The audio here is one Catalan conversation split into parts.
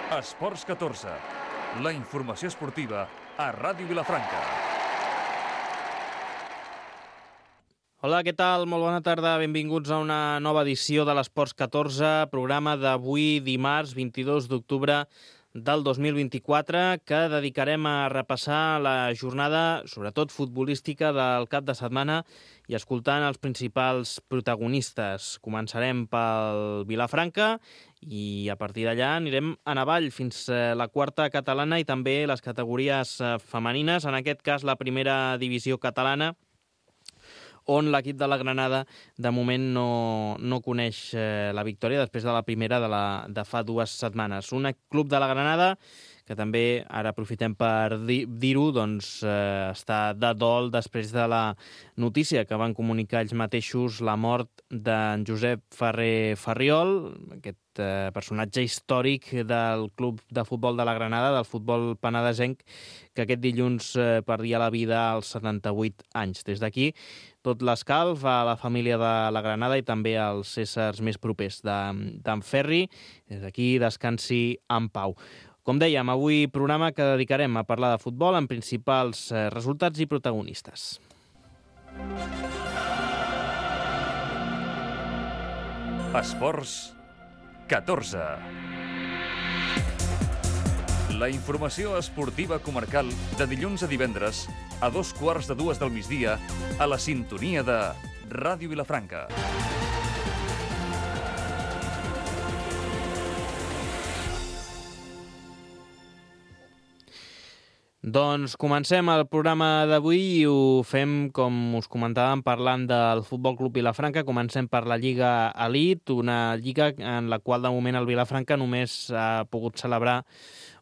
Esports 14, la informació esportiva a Ràdio Vilafranca. Hola, què tal? Molt bona tarda. Benvinguts a una nova edició de l'Esports 14, programa d'avui, dimarts 22 d'octubre del 2024, que dedicarem a repassar la jornada, sobretot futbolística, del cap de setmana i escoltant els principals protagonistes. Començarem pel Vilafranca i a partir d'allà anirem en avall fins a la quarta catalana i també les categories femenines, en aquest cas la primera divisió catalana, on l'equip de la Granada de moment no coneix la victòria després de la primera de fa 2 setmanes. Un club de la Granada que també, ara aprofitem per dir-ho, doncs està de dol després de la notícia que van comunicar ells mateixos, la mort d'en Josep Ferrer Farriol, aquest personatge històric del club de futbol de la Granada, del futbol penedesenc, que aquest dilluns perdia la vida als 78 anys. Des d'aquí, tot l'escalf a la família de la Granada i també als éssers més propers d'en Ferri. Des d'aquí, descansi en pau. Com dèiem, avui programa que dedicarem a parlar de futbol amb principals resultats i protagonistes. Esports 14. La informació esportiva comarcal de dilluns a divendres a 2:15 del migdia a la sintonia de Ràdio Vilafranca. Doncs comencem el programa d'avui i ho fem, com us comentàvem, parlant del Futbol Club Vilafranca. Comencem per la Lliga Elite, una lliga en la qual de moment el Vilafranca només ha pogut celebrar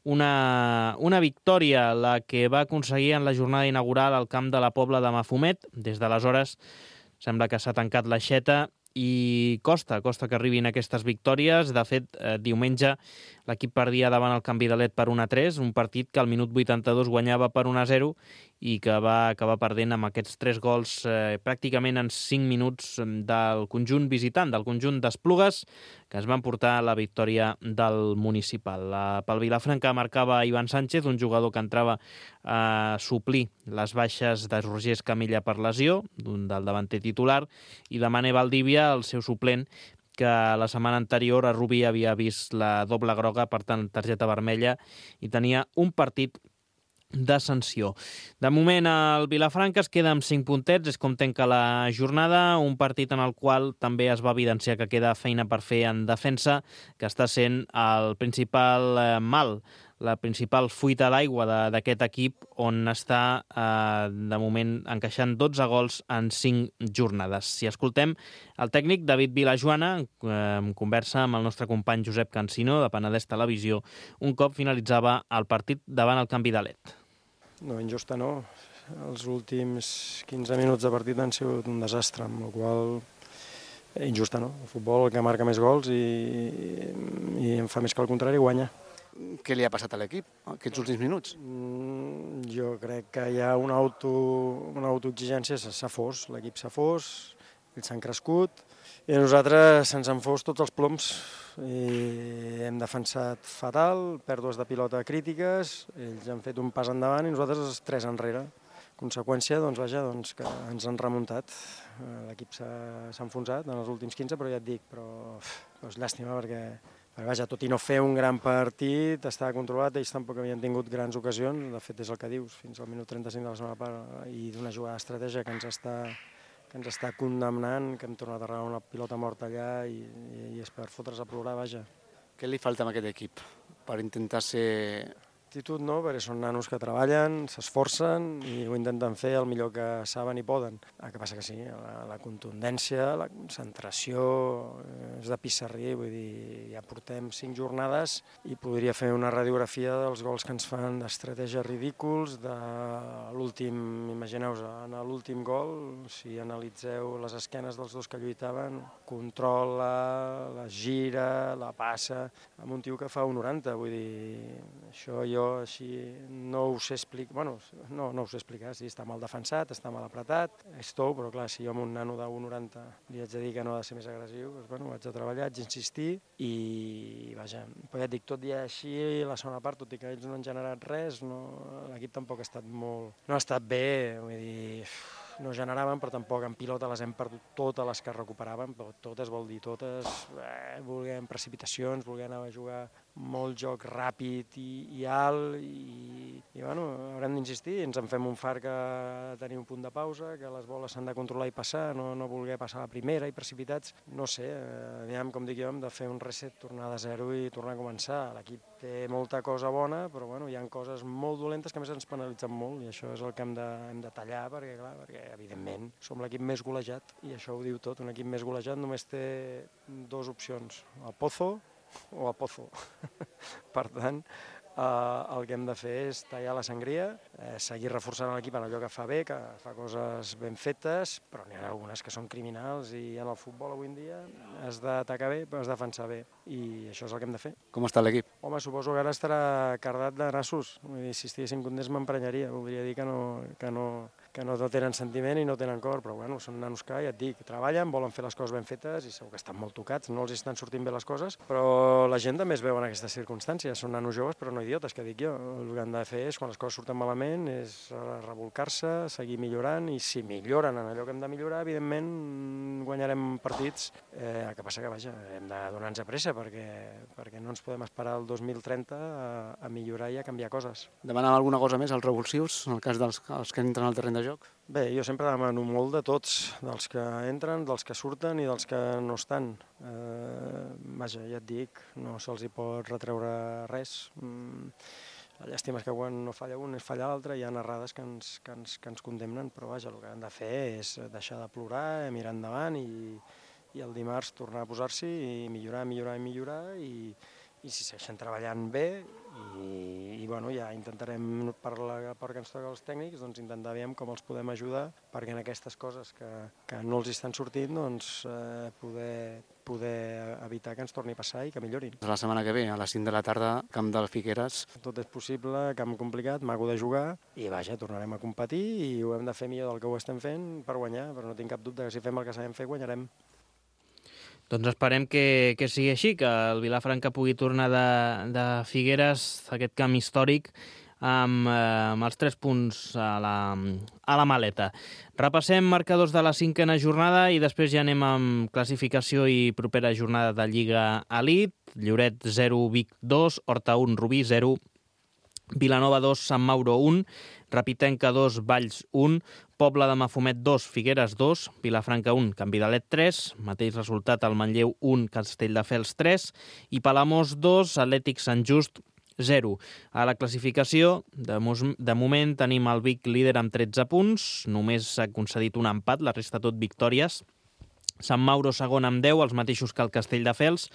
una victòria, la que va aconseguir en la jornada inaugural al camp de la Pobla de Mafumet. Des d'aleshores sembla que s'ha tancat l'aixeta i costa que arribin aquestes victòries. De fet, diumenge l'equip perdia davant el Can Vidalet per 1-3, un partit que al minut 82 guanyava per 1-0 i que va acabar perdent amb aquests 3 gols pràcticament en 5 minuts del conjunt visitant, del conjunt d'Esplugues, que es van portar la victòria del municipal. Pel Vilafranca marcava Ivan Sánchez, un jugador que entrava a suplir les baixes de Roger Escamilla per lesió, del davanter titular, i de Mané Valdivia, el seu suplent, que la setmana anterior a Rubí havia vist la doble groga, per tant, targeta vermella, i tenia un partit de sanció. De moment el Vilafranca es queda amb 5 puntets, és com tanca la jornada, un partit en el qual també es va evidenciar que queda feina per fer en defensa, que està sent el principal mal, la principal fuita d'aigua d'aquest equip, on està de moment encaixant 12 gols en 5 jornades. Si escoltem el tècnic David Vilajoana, en conversa amb el nostre company Josep Cansino de Penedès Televisió, un cop finalitzava el partit davant el Can Vidalet. No, injusta no. Els últims 15 minuts de partit han sigut un desastre, amb la qual injusta no. El futbol, el que marca més gols i en fa més que el contrari, guanya. Què li ha passat a l'equip aquests últims minuts? Jo crec que hi ha una autoexigència, s'ha fos, l'equip s'ha fos, ells s'han crescut i a nosaltres se'ns han fos tots els ploms i hem defensat fatal, pèrdues de pilota crítiques, ells han fet un pas endavant i nosaltres 3 enrere. Conseqüència, que ens han remuntat. L'equip s'ha enfonsat en els últims 15, però ja et dic, però és llàstima perquè tot i no fer un gran partit, estava controlat, ells tampoc havien tingut grans ocasions, de fet és el que dius, fins al minut 35 de la segona part, i d'una jugada d'estratègia que ens està condemnant, que hem tornat a regar una pilota morta allà i és per fotre's a plorar, vaja. Què li falta a aquest equip per intentar ser... Actitud no, perquè són nanos que treballen, s'esforcen i ho intenten fer el millor que saben i poden. El que passa que sí, la contundència, la concentració és de pissarrí, vull dir, ja portem 5 jornades i podria fer una radiografia dels gols que ens fan d'estratègies ridículs, de l'últim, imagineu-vos, en l'últim gol, si analitzeu les esquenes dels dos que lluitaven, controla, la gira, la passa, amb un tio que fa 1,90, vull dir, això jo jo així no ho sé explicar, bueno, no ho sé explicar, sí, està mal defensat, està mal apretat, és tou, però clar, si jo amb un nano de 1,90 li haig de dir que no ha de ser més agressiu, doncs bueno, haig de treballar, haig d'insistir i vaja, però ja et dic, tot i així la segona part, tot i que ells no han generat res, l'equip tampoc ha estat no ha estat bé, vull dir, no generaven, però tampoc en pilota les hem perdut totes les que recuperàvem, però totes vol dir totes, volguem precipitacions, volguem anar a jugar molt joc ràpid i alt i bueno, haurem d'insistir, ens en fem un fart que tenir un punt de pausa, que les boles s'han de controlar i passar, no voler passar la primera i precipitats, no sé, aviam, com dic jo, hem de fer un reset, tornar de zero i tornar a començar. L'equip té molta cosa bona, però bueno, hi ha coses molt dolentes que a més ens penalitzen molt i això és el que hem de tallar perquè evidentment som l'equip més golejat i això ho diu tot, un equip més golejat només té dues opcions, el Pozo o a Pozo. Per tant, el que hem de fer és tallar la sangria, seguir reforçant l'equip en allò que fa bé, que fa coses ben fetes, però n'hi ha algunes que són criminals i en el futbol avui en dia has d'atacar bé, però has de defensar bé i això és el que hem de fer. Com està l'equip? Home, suposo que ara estarà cardat de nassos. Vull dir, si estiguessin contents m'emprenyaria. Voldria dir que no tenen sentiment i no tenen cor, però bueno, són nanos que, ja et dic, treballen, volen fer les coses ben fetes i segur que estan molt tocats, no els estan sortint bé les coses, però la gent també es veu en aquestes circumstàncies. Són nanos joves, però no idiotes, que dic jo. El que han de fer és, quan les coses surten malament, és revolcar-se, seguir millorant, i si milloren en allò que hem de millorar, evidentment guanyarem partits. El que passa que, vaja, hem de donar-nos a pressa, perquè no ens podem esperar el 2030 a millorar i a canviar coses. Demanàvem alguna cosa més als revulsius, en el cas dels que entren al terreny de joc? Bé, jo sempre demano molt de tots, dels que entren, dels que surten i dels que no estan. Vaja, ja et dic, no se'ls hi pot retreure res. La llàstima és que quan no falla un és falla l'altre, hi ha errades que ens condemnen, però vaja, el que han de fer és deixar de plorar, mirar endavant i el dimarts tornar a posar-s'hi i millorar i si segueixen treballant bé i bueno, ja intentarem per que ens toca els tècnics, doncs intentar veure com els podem ajudar perquè en aquestes coses que no els estan sortint doncs poder evitar que ens torni a passar i que millorin. La setmana que ve, a les 5 de la tarda, camp del Figueres. Tot és possible, camp complicat, maco de jugar i vaja, tornarem a competir i ho hem de fer millor del que ho estem fent per guanyar, però no tinc cap dubte que si fem el que sabem fer guanyarem. Doncs esperem que sigui així, que el Vilafranca pugui tornar de Figueres, aquest camp històric, amb els 3 punts a la maleta. Repassem marcadors de la 5a jornada i després ja anem amb classificació i propera jornada de Lliga Elite. Lloret 0, Vic 2, Horta 1, Rubí 0, Vilanova 2, Sant Mauro 1, Rapitenca 2, Valls 1, Pobla de Mafumet 2, Figueres 2, Vilafranca 1, Can Vidalet 3, mateix resultat al Manlleu 1, Castelldefels 3 i Palamós 2, Atlètic Sant Just 0. A la classificació, de moment tenim el Vic líder amb 13 punts, només s'ha concedit un empat, la resta tot victòries. Sant Mauro segon amb 10, els mateixos que el Castelldefels,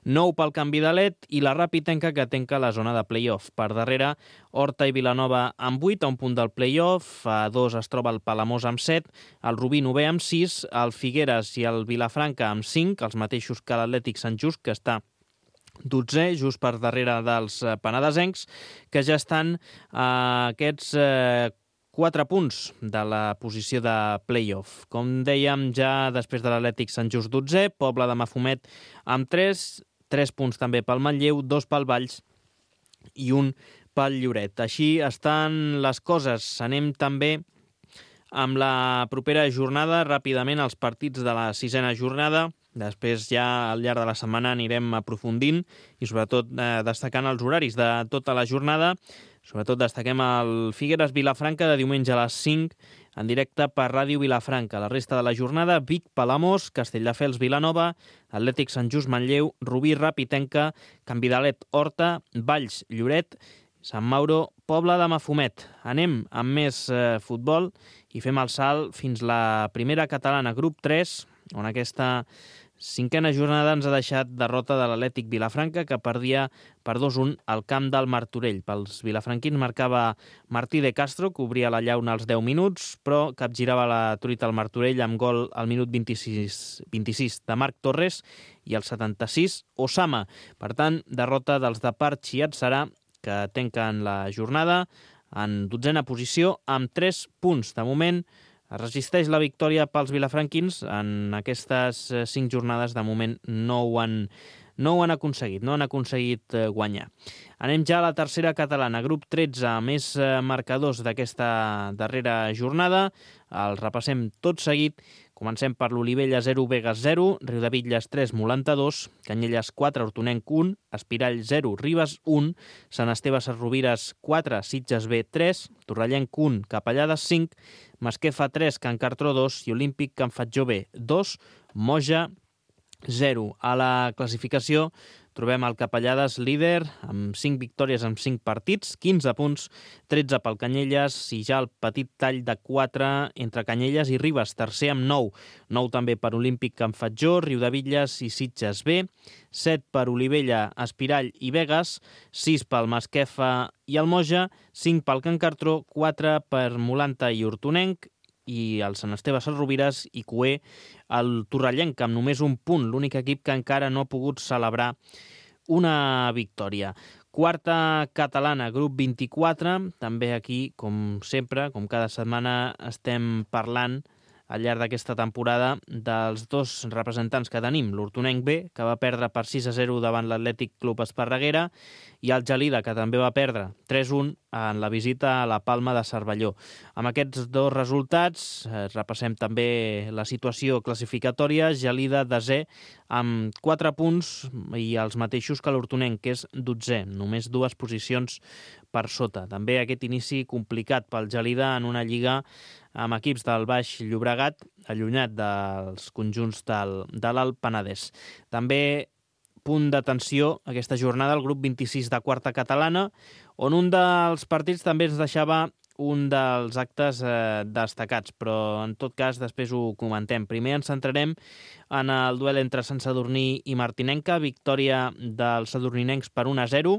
9 pel Can Vidalet i la Rapitenca que tanca la zona de play-off. Per darrere, Horta i Vilanova amb 8, a un punt del play-off, a 2 es troba el Palamós amb 7, el Rubí 9 amb 6, el Figueres i el Vilafranca amb 5, els mateixos que l'Atlètic Sant Just, que està 12, just per darrere dels penedesencs, que ja estan aquests 4 punts de la posició de play-off. Com dèiem, ja després de l'Atlètic Sant Just 12, Pobla de Mafumet amb 3 punts també pel Manlleu, 2 pel Valls i 1 pel Lloret. Així estan les coses. Anem també amb la propera jornada, ràpidament els partits de la 6a jornada. Després ja al llarg de la setmana anirem aprofundint i sobretot destacant els horaris de tota la jornada. Sobretot destaquem el Figueres Vilafranca de diumenge a les 5 en directe per Ràdio Vilafranca. La resta de la jornada, Vic, Palamós, Castelldefels, Vilanova, Atlètic Sant Just, Manlleu, Rubí, Rapitenca, Can Vidalet, Horta, Valls, Lloret, Sant Mauro, Pobla de Mafumet. Anem amb més futbol i fem el salt fins la primera catalana, grup 3, on aquesta 5a jornada ens ha deixat derrota de l'Atlètic Vilafranca, que perdia per 2-1 al camp del Martorell. Pels vilafranquins marcava Martí de Castro, que obria la llauna als 10 minuts, però capgirava la truita al Martorell amb gol al minut 26 de Marc Torres i al 76 Osama. Per tant, derrota dels de Parchi i Atzarà, que tanquen la jornada en 12a posició amb 3 punts. De moment es resisteix la victòria pels vilafranquins. En aquestes 5 jornades de moment no ho han aconseguit guanyar. Anem ja a la tercera catalana, grup 13, més marcadors d'aquesta darrera jornada. Els repassem tot seguit. Comencem per l'Olivella 0, Begues 0, Riudebitlles 3, Molanta 2, Canyelles 4, Hortonenc 1, Espirall 0, Ribes 1, Sant Esteve Sesrovires 4, Sitges B 3, Torrellenc 1, Capellades 5, Masquefa 3, Can Cartró 2 i Olímpic Can Fatjó B 2, Moja 0. A la classificació trobem el Capellades líder amb 5 victòries en 5 partits, 15 punts, 13 pel Canyelles i ja el petit tall de 4 entre Canyelles i Ribes, tercer amb 9. 9 també per Olímpic Can Fatjó, Riudebitlles i Sitges B, 7 per Olivella, Espirall i Begues, 6 pel Masquefa i el Moja, 5 pel Can Cartró, 4 per Molanta i Hortonenc, i el Sant Esteve Sesrovires i Cué el Torrellenc amb només un punt, l'únic equip que encara no ha pogut celebrar una victòria. Quarta catalana, grup 24, també aquí, com sempre, com cada setmana, estem parlant al llarg d'aquesta temporada dels dos representants que tenim, l'Hortonenc B, que va perdre per 6-0 davant l'Atlètic Club Esparreguera, i el Gelida, que també va perdre 3-1 en la visita a la Palma de Cervelló. Amb aquests dos resultats repassem també la situació classificatòria. Gelida desè amb 4 punts i els mateixos que l'Hortonenc, que és 12è, només 2 posicions per sota. També aquest inici complicat pel Gelida en una lliga amb equips del Baix Llobregat, allunyat dels conjunts de l'Alt Penedès. També punt d'atenció aquesta jornada al grup 26 de quarta catalana, on un dels partits també ens deixava un dels actes destacats, però en tot cas després ho comentem. Primer ens centrarem en el duel entre Sant Sadurní i Martinenca, victòria dels sadurninencs per 1-0,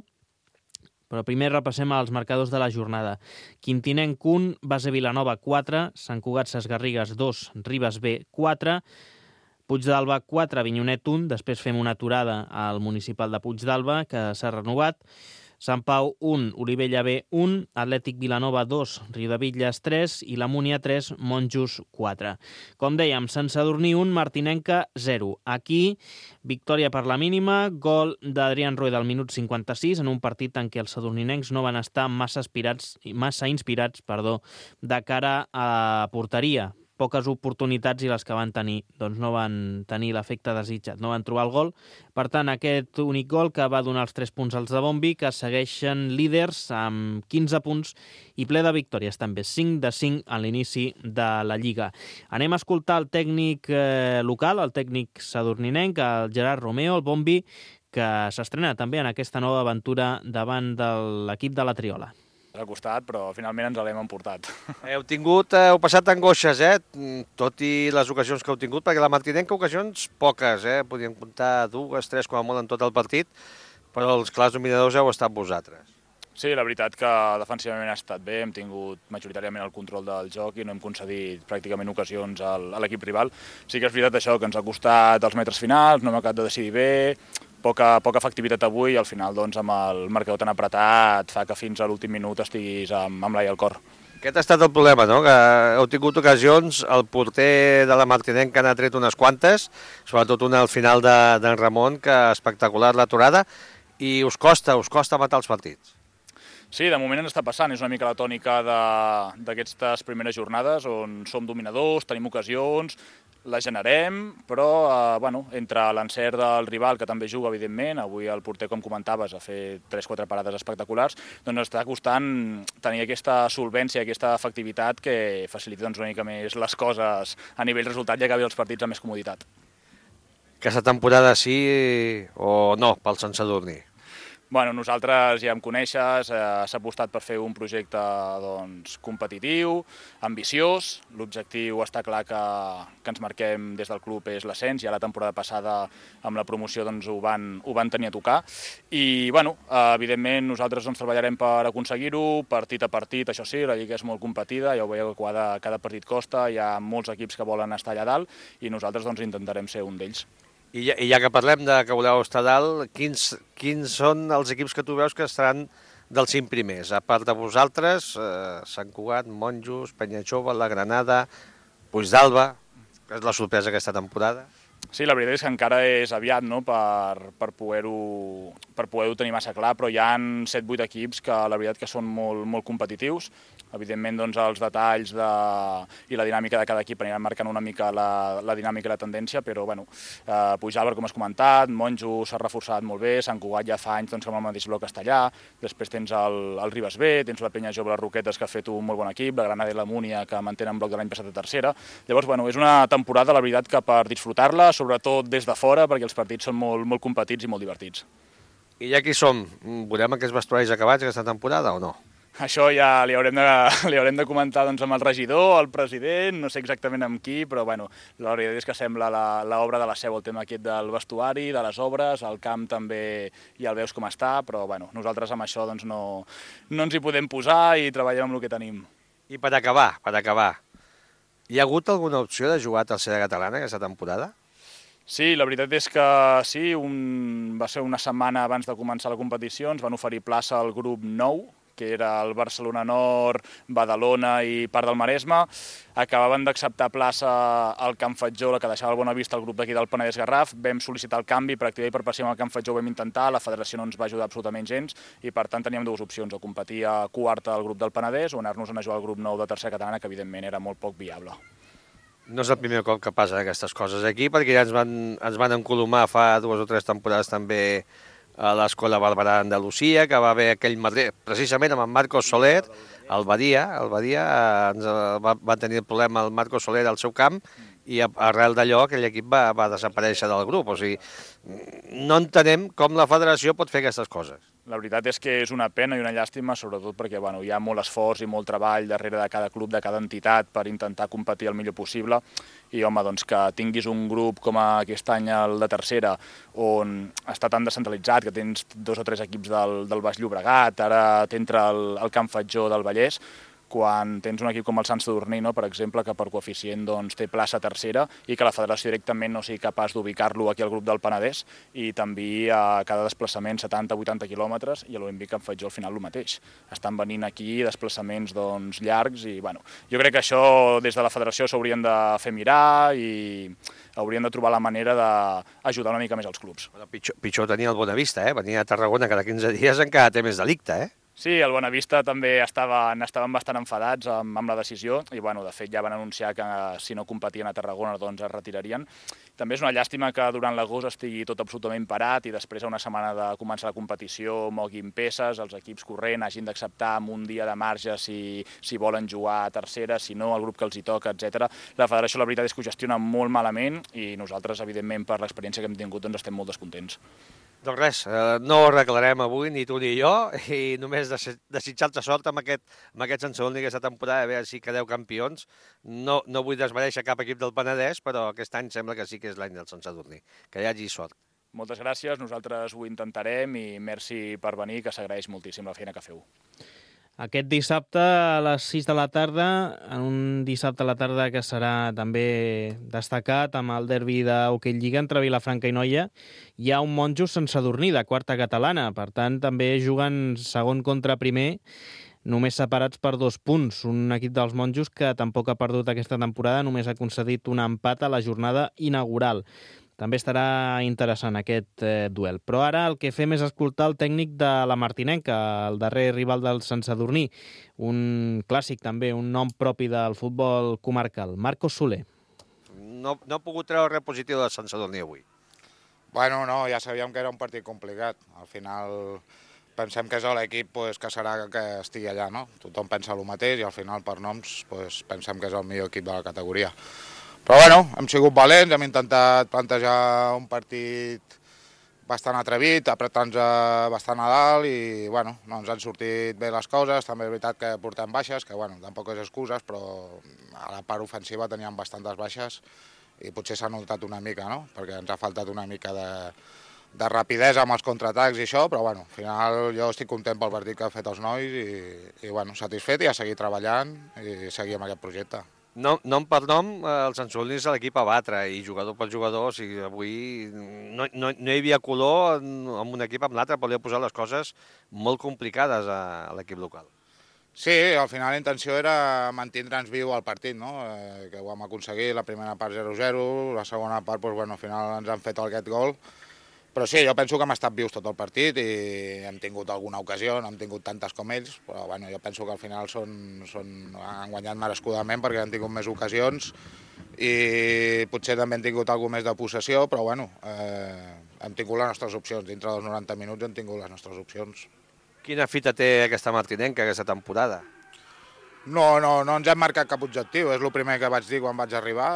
però primer repassem els marcadors de la jornada. Quintinenc 1, Base Vilanova 4, Sant Cugat Sesgarrigues 2, Ribes B 4, Puigdàlber 4, Avinyonet 1, després fem una aturada al municipal de Puigdàlber, que s'ha renovat, Sant Pau 1, Olivella B 1, Atlètic Vilanova 2, Riudebitlles 3 i la Múnia 3, Monjos 4. Com dèiem, Sant Sadurní 1, Martinenca 0. Aquí, victòria per la mínima, gol d'Adrián Rueda al minut 56, en un partit en què els sadurninencs no van estar massa inspirats de cara a la porteria. Poques oportunitats i les que van tenir doncs no van tenir l'efecte desitjat, no van trobar el gol. Per tant, aquest únic gol que va donar els 3 punts als de Bombi, que segueixen líders amb 15 punts i ple de victòries també, 5 de 5 a l'inici de la Lliga. Anem a escoltar el tècnic local, el tècnic sadurninenc, el Gerard Romeo, el Bombi, que s'estrena també en aquesta nova aventura davant de l'equip de la Triola. Ha costat, però finalment ens l'hem emportat. Heu passat angoixes, tot i les ocasions que heu tingut, perquè la Martinenca ocasions poques, podíem comptar 2, 3 com a molt en tot el partit, però els clars dominadors heu estat vosaltres. Sí, la veritat que defensivament ha estat bé, hem tingut majoritàriament el control del joc i no hem concedit pràcticament ocasions a l'equip rival. Sí que és veritat això, que ens ha costat els metres finals, no hem acabat de decidir bé, poca efectivitat avui i al final doncs, amb el marcador tan apretat fa que fins a l'últim minut estiguis amb l'ai al cor. Aquest ha estat el problema, no? Que heu tingut ocasions, el porter de la Martinenca n'ha tret unes quantes, sobretot una al final d'en Ramon, que espectacular l'aturada, i us costa matar els partits. Sí, de moment ens està passant, és una mica la tònica d'aquestes primeres jornades on som dominadors, tenim ocasions, la generem, però entre l'encert del rival, que també juga, evidentment, avui el porter, com comentaves, ha fet 3-4 parades espectaculars, doncs està costant tenir aquesta solvència, aquesta efectivitat que facilita una mica més les coses a nivell resultat i acabi els partits amb més comoditat. Aquesta temporada sí o no pel Sant Sadurní? Bueno, nosaltres ja em coneixes, s'ha apostat per fer un projecte competitiu, ambiciós. L'objectiu està clar que ens marquem des del club és l'ascens, ja la temporada passada amb la promoció ho van tenir a tocar. I, evidentment, nosaltres treballarem per aconseguir-ho, partit a partit, això sí, la Lliga és molt competida, ja ho veieu que cada partit costa, hi ha molts equips que volen estar allà dalt i nosaltres intentarem ser un d'ells. I ja que parlem de que voleu estar dalt, quins són els equips que tu veus que estaran dels 5 primers. A part de vosaltres, Sant Cugat, Monjos, Penyajove, la Granada, Puigdàlber, que és la sorpresa aquesta temporada. Sí, la veritat és que encara és aviat, no?, per poder-ho tenir massa clar, però hi ha 7-8 equips que la veritat que són molt competitius. Evidentment, doncs, els detalls i la dinàmica de cada equip aniran marcant una mica la dinàmica i la tendència, però bueno, Puigdàlber, com has comentat, Monjo s'ha reforçat molt bé, Sant Cugat ja fa anys doncs, amb el mateix bloc castellà, després tens el Ribes B, tens la Penyajove, les Roquetes, que ha fet un molt bon equip, la Granada i la Múnia, que mantenen bloc de l'any passat a tercera. Llavors, bueno, és una temporada, la veritat, que per disfrutar-la, sobretot des de fora, perquè els partits són molt competits i molt divertits. I ja que hi som, veurem aquests vestuaris acabats aquesta temporada o no? Això ja li haurem de comentar doncs, amb el regidor, el president, no sé exactament amb qui, però bueno, la veritat és que sembla l'obra de la seu, el tema aquest del vestuari, de les obres, el camp també ja el veus com està, però bueno, nosaltres amb això doncs, no ens hi podem posar i treballem amb el que tenim. I per acabar, hi ha hagut alguna opció de jugar a tercera catalana aquesta temporada? Sí, la veritat és que sí, va ser una setmana abans de començar la competició, ens van oferir plaça al grup 9, que era el Barcelona Nord, Badalona i part del Maresme. Acabaven d'acceptar plaça al Camp Fatjó, la que deixava el Bonavista, el grup d'aquí del Penedès Garraf. Vam sol·licitar el canvi, per activar i per passiva al Camp Fatjó ho vam intentar, la federació no ens va ajudar absolutament gens i per tant teníem dues opcions, o competir a quarta al grup del Penedès o anar-nos a jugar al grup 9 de tercera catalana, que evidentment era molt poc viable. No és el primer cop que passen aquestes coses aquí, perquè ja ens van encolomar fa 2 o 3 temporades també a l'Escola Barberà Andalusia, que va haver aquell madrer, precisament amb en Marcos Soler, el Badia va tenir el problema el Marcos Soler al seu camp i arrel d'allò aquell equip va desaparèixer del grup. O sigui, no entenem com la federació pot fer aquestes coses. La veritat és que és una pena i una llàstima, sobretot perquè bueno, hi ha molt esforç i molt treball darrere de cada club, de cada entitat, per intentar competir el millor possible. I, home, doncs que tinguis un grup com aquest any el de tercera, on està tan descentralitzat, que tens 2 o 3 equips del Baix Llobregat, ara t'entra el Camp Fatjó del Vallès, quan tens un equip com el Sant Sadurní, no, per exemple, que per coeficient doncs, té plaça tercera i que la federació directament no sigui capaç d'ubicar-lo aquí al grup del Penedès i també a cada desplaçament 70-80 quilòmetres i a l'Olímpic Camp Fatjó al final el mateix. Estan venint aquí desplaçaments doncs, llargs i bueno, jo crec que això des de la federació s'haurien de fer mirar i haurien de trobar la manera d'ajudar una mica més els clubs. Però pitjor tenia el Bonavista, venia a Tarragona cada 15 dies encara té més delicte, Sí, el Bonavista també estaven bastant enfadats amb la decisió i, bueno, de fet, ja van anunciar que si no competien a Tarragona doncs es retirarien. També és una llàstima que durant l'agost estigui tot absolutament parat i després, a una setmana de començar la competició, moguin peces, els equips corrent hagin d'acceptar amb un dia de marge si volen jugar a tercera, si no, el grup que els hi toca, etc. La federació, la veritat, és que ho gestiona molt malament i nosaltres, evidentment, per l'experiència que hem tingut, doncs estem molt descontents. Doncs res, no ho arreglarem avui, ni tu ni jo, i només desitjar-te sort amb aquest Sant Sadurní aquesta temporada, a veure si quedeu campions. No vull desmereixer cap equip del Penedès, però aquest any sembla que sí que és l'any del Sant Sadurní. Que hi hagi sort. Moltes gràcies, nosaltres ho intentarem i merci per venir, que s'agraeix moltíssim la feina que feu. Aquest dissabte a les 6 de la tarda, en un dissabte a la tarda que serà també destacat amb el derbi d'Hockey Lliga entre Vilafranca i Noia, hi ha un Monjos Sant Sadurní de quarta catalana. Per tant, també juguen segon contra primer, només separats per 2 punts. Un equip dels Monjos que tampoc ha perdut aquesta temporada, només ha concedit un empat a la jornada inaugural. També estarà interessant aquest duel. Però ara el que fem és escoltar el tècnic de la Martinenca, el darrer rival del Sant Sadurní, un clàssic també, un nom propi del futbol comarcal, Marcos Soler. No ha pogut treure res positiu del Sant Sadurní avui. Bueno, no, ja sabíem que era un partit complicat. Al final pensem que és l'equip que serà que estigui allà, no? Tothom pensa el mateix i al final per noms pensem que és el millor equip de la categoria. Però bueno, hem sigut valents, hem intentat plantejar un partit bastant atrevit, apretar-nos bastant a dalt i bueno, no ens han sortit bé les coses. També és veritat que portem baixes, que bueno, tampoc és excuses, però a la part ofensiva teníem bastantes baixes i potser s'ha notat una mica, no? Perquè ens ha faltat una mica de rapidesa amb els contraatacs i això, però bueno, al final jo estic content pel partit que han fet els nois i bueno, satisfet i a seguir treballant i seguir amb aquest projecte. Nom per nom, el Sant Sadurní és l'equip a batre, i jugador per jugador, o sigui, avui no hi havia color amb un equip amb l'altre, podia posar les coses molt complicades a l'equip local. Sí, al final la intenció era mantindre'ns viu al partit, no? Que ho vam aconseguir, la primera part 0-0, la segona part, doncs, bueno, al final ens han fet aquest gol. Però sí, jo penso que hem estat vius tot el partit i hem tingut alguna ocasió, no hem tingut tantes com ells, però bueno, jo penso que al final han guanyat merescudament perquè han tingut més ocasions i potser també han tingut alguna més de possessió, però bueno, hem tingut les nostres opcions. Dintre dels 90 minuts hem tingut les nostres opcions. Quina fita té aquesta martinenca, aquesta temporada? No ens hem marcat cap objectiu, és el primer que vaig dir quan vaig arribar,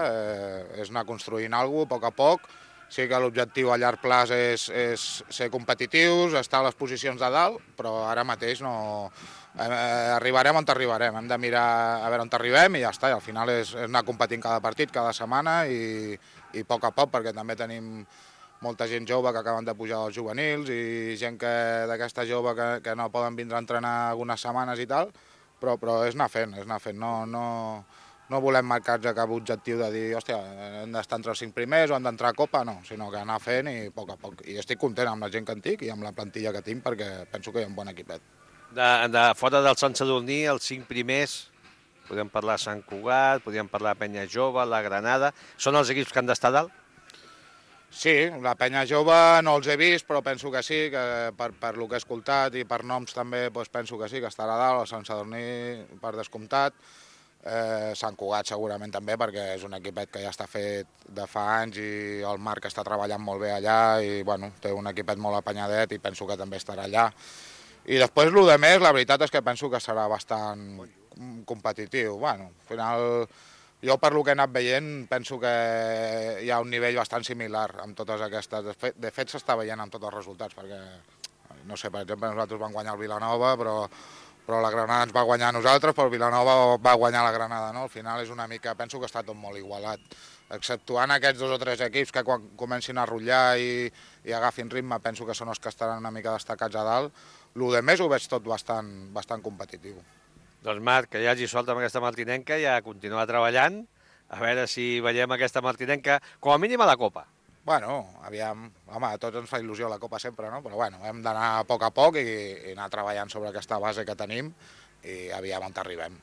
és anar construint alguna cosa a poc. Sí que l'objectiu a llarg plaç és ser competitius, estar a les posicions de dalt, però ara mateix no arribarem on arribarem, hem de mirar a veure on arribem i ja està, i al final és anar competint cada partit, cada setmana i a poc, perquè també tenim molta gent jove que acaben de pujar dels juvenils i gent d'aquesta jove que no poden vindre a entrenar algunes setmanes i tal, però és anar fent, no volem marcar-nos cap objectiu de dir, hòstia, hem d'estar entre els 5 primers o hem d'entrar a Copa, no, sinó que anar fent i a poc. I estic content amb la gent que en tinc i amb la plantilla que tinc perquè penso que hi ha un bon equipet. De fora del Sant Sadurní, els 5 primers, podem parlar Sant Cugat, podem parlar Penya Jove, la Granada, són els equips que han d'estar dalt? Sí, la Penya Jove no els he vist, però penso que sí, que per lo que he escoltat i per noms també penso que sí, que estarà dalt, el Sant Sadurní per descomptat, Sant Cugat segurament també, perquè és un equipet que ja està fet de fa anys i el Marc està treballant molt bé allà i bueno, té un equipet molt apanyadet i penso que també estarà allà. I després el de més, la veritat és que penso que serà bastant competitiu. Bueno, al final, jo per lo que he anat veient penso que hi ha un nivell bastant similar amb totes aquestes. De fet s'està veient amb tots els resultats, perquè, no sé, per exemple, nosaltres vam guanyar el Vilanova, però la Granada ens va guanyar a nosaltres, però el Vilanova va guanyar la Granada, no? Al final és una mica, penso que està tot molt igualat, exceptuant aquests 2 o 3 equips que quan comencin a rotllar i agafin ritme, penso que són els que estaran una mica destacats a dalt. El de més ho veig tot bastant competitiu. Doncs Marc, que hi hagi sort amb aquesta martinenca i a continuar treballant, a veure si veiem aquesta martinenca com a mínim a la Copa. Bueno, aviam, home, a tots ens fa il·lusió la Copa sempre, no? Però bueno, hem d'anar a poc i anar treballant sobre aquesta base que tenim i aviam on arribem.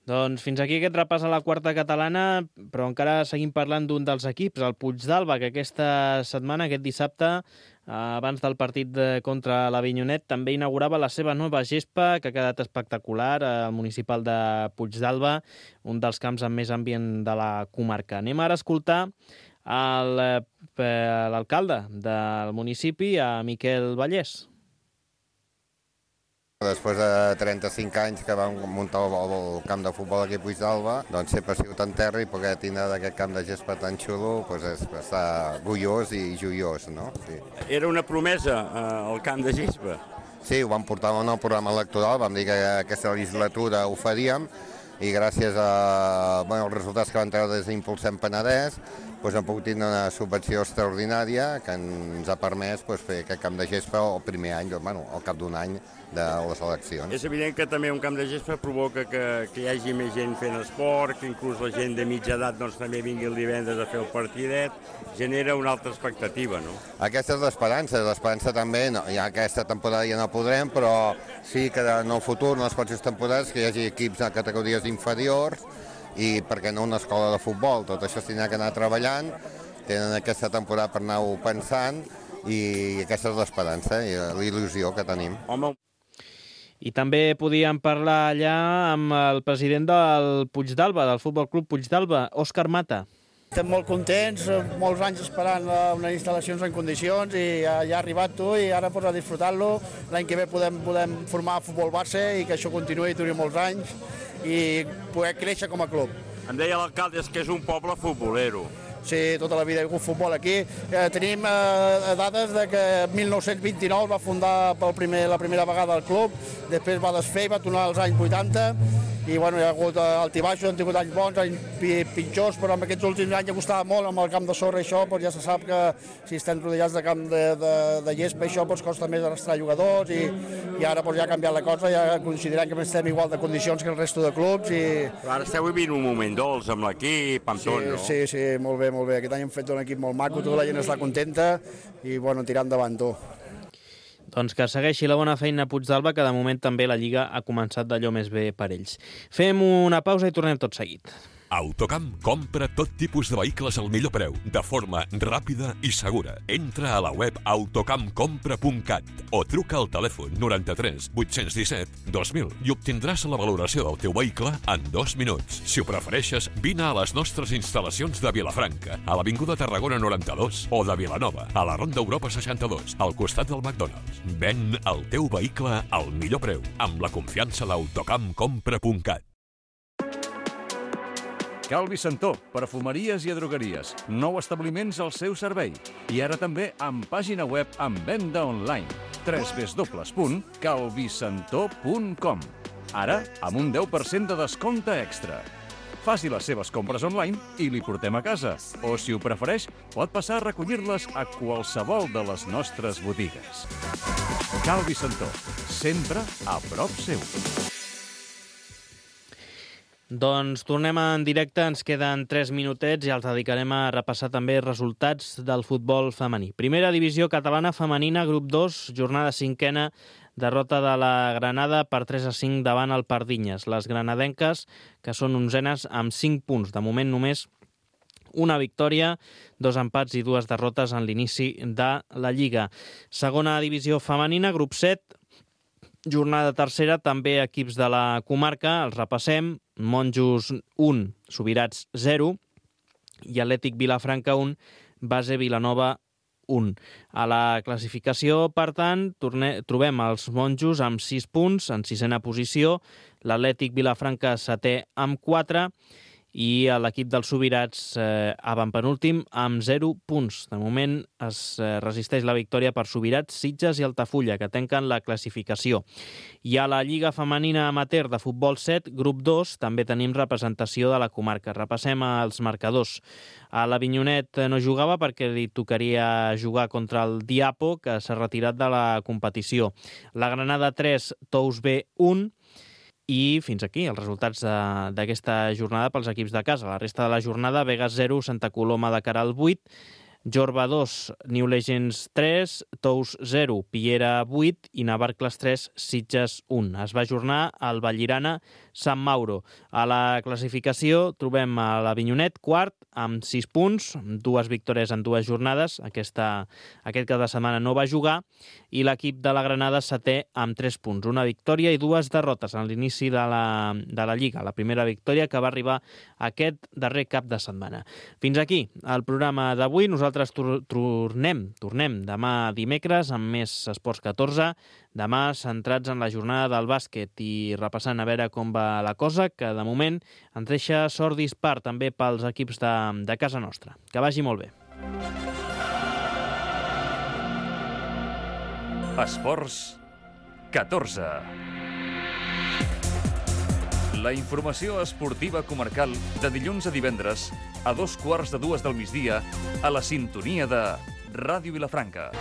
Doncs fins aquí aquest repàs a la quarta catalana, però encara seguim parlant d'un dels equips, el Puigdàlber, que aquesta setmana, aquest dissabte, abans del partit contra l'Avinyonet, també inaugurava la seva nova gespa, que ha quedat espectacular, al municipal de Puigdàlber, un dels camps amb més ambient de la comarca. Anem ara a escoltar l'alcalde del municipi, a Miquel Vallès. Després de 35 anys que vam muntar el camp de futbol aquí a Puigdàlber, doncs sempre ha sigut en terra i poder tindre d'aquest camp de gespa tan xulo doncs és estar orgullós i joiós, no? Sí. Era una promesa, el camp de gespa? Sí, ho vam portar en el programa electoral, vam dir que aquesta legislatura ho faríem i gràcies als resultats que van treure des d'Impulsem Penedès doncs hem pogut tenir una subvenció extraordinària que ens ha permès fer aquest camp de gespa el primer any, al cap d'un any de les eleccions. És evident que també un camp de gespa provoca que hi hagi més gent fent esport, que inclús la gent de mitja edat també vingui el divendres a fer el partidet, genera una altra expectativa, no? Aquesta és l'esperança també, ja aquesta temporada ja no podrem, però sí que en el futur, en les pròximes temporades, que hi hagi equips a categories inferiors i, per què no, una escola de futbol. Tot això s'ha que anar treballant, tenen aquesta temporada per anar-ho pensant i aquesta és l'esperança i l'il·lusió que tenim. Home. I també podíem parlar allà amb el president del Puigdàlber, del Futbol Club Puigdàlber, Òscar Mata. Estem molt contents, molts anys esperant unes instal·lacions en condicions i ja ha arribat tu i ara a disfrutar-lo. L'any que ve podem formar futbol base i que això continuï i duri molts anys i poder créixer com a club. Em deia l'alcalde que és un poble futbolero. Sí, tota la vida hi ha hagut futbol aquí. Tenim dades de que 1929 va fundar la primera vegada el club, després va desfer i va tornar als anys 80 i bueno, hi ha hagut altibaixos, hem tingut anys bons, anys pitjors, però en aquests últims anys ha costat molt amb el camp de sorra i això, doncs ja se sap que si estem rodejats de camp de gespa, això costa més arrastrar jugadors i ara ja ha canviat la cosa, ja considerem que estem igual de condicions que el resto de clubs. Però ara esteu vivint un moment dolç amb l'equip, amb tot, no? Sí, molt bé, molt bé. Aquest any hem fet un equip molt maco, tota la gent està contenta i bueno, tirant endavant tot. Doncs que segueixi la bona feina Puigdàlber, que de moment també la Lliga ha començat d'allò més bé per ells. Fem una pausa i tornem tot seguit. Autocamp compra tot tipus de vehicles al millor preu, de forma ràpida i segura. Entra a la web autocampcompra.cat o truca al telèfon 93 817 2000 i obtindràs la valoració del teu vehicle en 2 minuts. Si ho prefereixes, vine a les nostres instal·lacions de Vilafranca, a l'Avinguda Tarragona 92 o de Vilanova, a la Ronda Europa 62, al costat del McDonald's. Ven el teu vehicle al millor preu, amb la confiança d'autocampcompra.cat. Calvi Santó, perfumeries i drogueries. 9 establiments al seu servei. I ara també amb pàgina web amb venda online. www.calvisantó.com. Ara, amb un 10% de descompte extra. Faci les seves compres online i li portem a casa. O, si ho prefereix, pot passar a recollir-les a qualsevol de les nostres botigues. Calvi Santó, sempre a prop seu. Doncs tornem en directe, ens queden 3 minutets i els dedicarem a repassar també resultats del futbol femení. Primera divisió catalana femenina, grup 2, jornada 5ena, derrota de la Granada per 3-5 davant el Pardinyes. Les granadenques, que són 11enes, amb 5 punts. De moment només una victòria, 2 empats i 2 derrotes en l'inici de la Lliga. Segona divisió femenina, grup 7, jornada tercera, també equips de la comarca, els repassem. Monjos 1, Subirats 0 i Atlètic Vilafranca 1, Base Vilanova 1. A la classificació, per tant, trobem els Monjos amb 6 punts, en 6ena posició, l'Atlètic Vilafranca 7è amb 4 i l'equip dels Subirats avantpenúltim amb 0 punts. De moment es resisteix la victòria per Subirats, Sitges i Altafulla, que tanquen la classificació. I a la Lliga Femenina Amateur de Futbol 7, grup 2, també tenim representació de la comarca. Repassem els marcadors. A l'Avinyonet no jugava perquè li tocaria jugar contra el Diapo, que s'ha retirat de la competició. La Granada 3, Tous B 1, i fins aquí els resultats d'aquesta jornada pels equips de casa. La resta de la jornada, Vegas 0, Santa Coloma de Caral 8, Jorba 2, New Legends 3, Tous 0, Piera 8 i Navarcles 3, Sitges 1. Es va ajornar al Vallirana Sant Mauro. A la classificació trobem a l'Avinyonet, quart, amb 6 punts, 2 victòries en 2 jornades. Aquest cap de setmana no va jugar. I l'equip de la Granada, setè, amb 3 punts. Una victòria i 2 derrotes en l'inici de la Lliga. La primera victòria que va arribar aquest darrer cap de setmana. Fins aquí el programa d'avui. Nosaltres tornem demà dimecres amb més Esports 14. Demà centrats en la jornada del bàsquet i repassant a veure com va la cosa, que de moment ens deixa sort dispar també pels equips de casa nostra. Que vagi molt bé. Esports 14. La informació esportiva comarcal de dilluns a divendres a 2:15 del migdia a la sintonia de Ràdio Vilafranca.